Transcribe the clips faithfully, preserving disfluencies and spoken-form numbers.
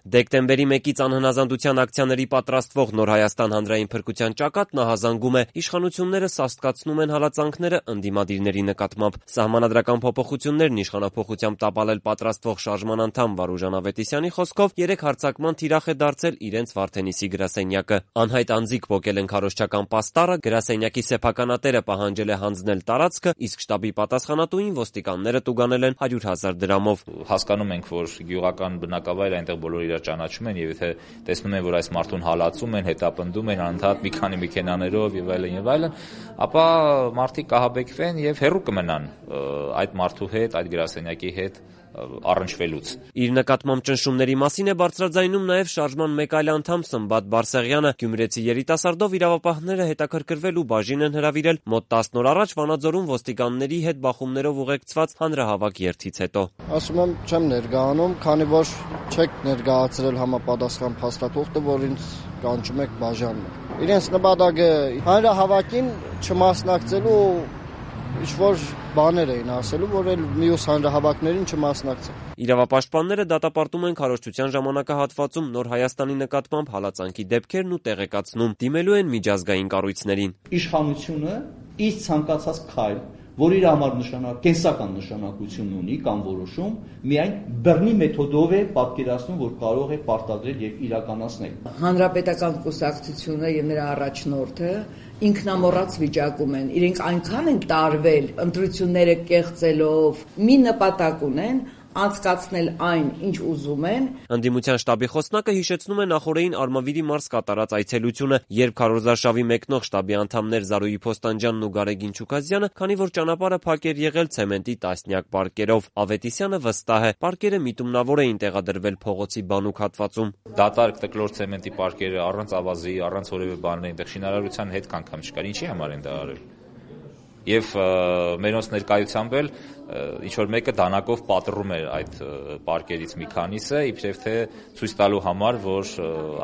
Դեկտեմբերի մեկից անհնազանդության ակցիաների պատրաստվող Նոր Հայաստան հանրային փրկության ճակատն ահազանգում է իշխանությունները սաստկացնում են հալածանքները ընդդիմադիրների նկատմամբ։ Սահմանադրական փոփոխություններն իշխանափոխությամբ տապալել պատրաստվող շարժման անդամ Վարուժան Ավետիսյանի խոսքով երեք հարձակման թիրախ է դարձել իրենց Վարդենիսի գրասենյակը։ Անհայտ անձիկ փոկել են քարոզչական պաստառը, գրասենյակի սեփականատերը պահանջել է հանձնել տարածքը, իսկ շտաբի պատասխանատուին ոստիկանները տուգանել են հարյուր հազար դրամով։ Հասկանում ենք, որ գյուղական բնակավայր այնտեղ բոլորը իրար ճանաչում են, եւ եթե տեսնում են, որ այս մարդուն հալածում են, հետապնդում են անընդհատ մի քանի մեքենաներով եւ այլն եւ այլն, ապա մարդիկ կհաբեկվեն եւ հեռու կմնան այդ մարդու հետ, այդ գրասենյակի հետ առնչվելուց։ Իր նկատմամբ ճնշումների մասին է բարձրաձայնում նաև շարժման մեկ այլ անդամ Սմբատ Բարսեղյանը։ Գյումրեցի երիտասարդով իրավապահները հետաքրքրվել ու բաժին են հրավիրել մոտ տասն օր առաջ Վանաձորում ոստիկանների հետ բախումներով ուղեկցված հանրահավաք երթից հետո։ Ասում եմ, չեմ ներկայանում, քանի որ չեք ներկայացրել համապատասխան փաստաթուղթը, որ ինձ կանչում եք բաժանը։ Իրենց նպատակը հանրահավաքին չմասնակցելու ինչ-որ բաներ էին ասելու, որ էլ մյուս հանրահավաքներին չմասնակցեն։ Իրավապաշտպանները դատապարտում են քարոզչության ժամանակահատվածում Նոր Հայաստանի նկատմամբ հալածանքի դեպքերն ու տեղեկացնում, դիմելու են միջազգային կառույցներին։ Իշխանությունը իր ցանկացած քայլ, որ իր համար նշանակ կենսական նշանակություն ունի կամ որոշում, միայն բռնի մեթոդով է պատկերացնում, որ կարող է պարտադրել եւ իրականացնել։ Հանրապետական կուսակցությունը եւ նրա առաջնորդը ինքնամոռաց վիճակում են, իրենք այնքան են տարվել ընտրությունները կեղծելով, մի նպատակ ունեն անցկացնել այն, ինչ ուզում են։ Ընդդիմության շտաբի խոսնակը հիշեցնում է նախորդին Արմավիրի մարզ կատարած այցելությունը, երբ քարոզարշավի մեկնող շտաբի անդամներ Զարուհի Փոստանջյանն ու Գարեգին Չուկազյանը, քանի որ ճանապարհը փակ էր եղել ցեմենտի տասնյակ պարկերով։ Ավետիսյանը վստահ է, պարկերը միտումնավոր էին տեղադրվել փողոցի բանուկ հատվածում։ Դատարկ տկլոր ցեմենտի պարկերը առանց ավազի, առանց որևէ բանի, այնտեղ շինարարության հետ կանգամ չկար։ Ինչի համար են դա արել։ Եվ մերոնց ներկայությամբ էլ ինչ-որ մեկը դանակով պատռում էր այդ պարկերից մի քանիսը, իբրև թե ցույց տալու համար, որ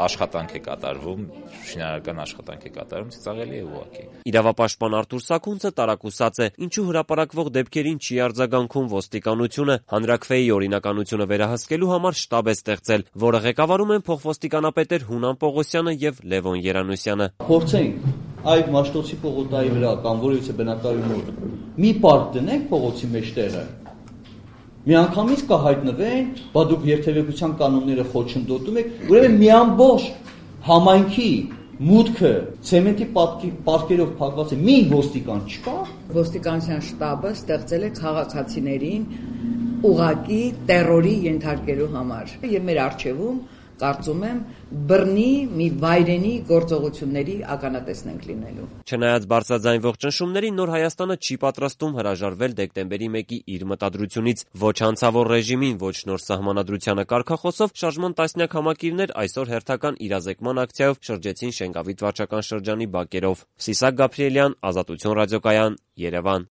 աշխատանք է կատարվում, շինարարական աշխատանք է կատարվում, ծիծաղելի է ուղղակի։ Իրավապաշտպան Արթուր Սաքունցը տարակուսած է, ինչու հրապարակվող դեպքերին չի արձագանքում ոստիկանությունը, հանրաքվեի օրինականությունը վերահսկելու համար շտաբ է ստեղծել, որը ղեկավարում են փոխոստիկանապետեր Հունան Պողոսյանը եւ Լևոն Երանուսյանը։ Փորձենք այդ Մաշտոցի պողոտայի վրա կամ որևիցե բնակարանի մոտ մի պարկ դնենք փողոցի մեջտեղը, միանգամից կհայտնվեն, բա դուք երթևեկության կանոնները խոչընդոտում եք, ուրեմն մի ամբողջ համայնքի մուտքը ցեմենտի պարկերով փակված է, մի ոստիկան չկա։ Ոստիկանության շտաբը ստեղծել է քաղաքացիներին ուղղակի տերորի ենթարկելու համար եւ մեր արչեվում կարծում եմ բռնի մի վայրենի գործողությունների ականատեսն ենք լինելու։ Չնայած բարձրաձայնվող ճնշումներին, Նոր Հայաստանը չի պատրաստում հրաժարվել դեկտեմբերի մեկի իր մտադրությունից։ Ոչ հանցավոր ռեժիմին, ոչ նոր սահմանադրությանը կարգախոսով շարժման տասնյակ համակիրներ այսօր հերթական իրազեկման ակցիայով շրջեցին Շենգավիթ վարչական շրջանի բակերով։ Սիսակ Գաբրիելյան, Ազատություն ռադիոկայան, Երևան։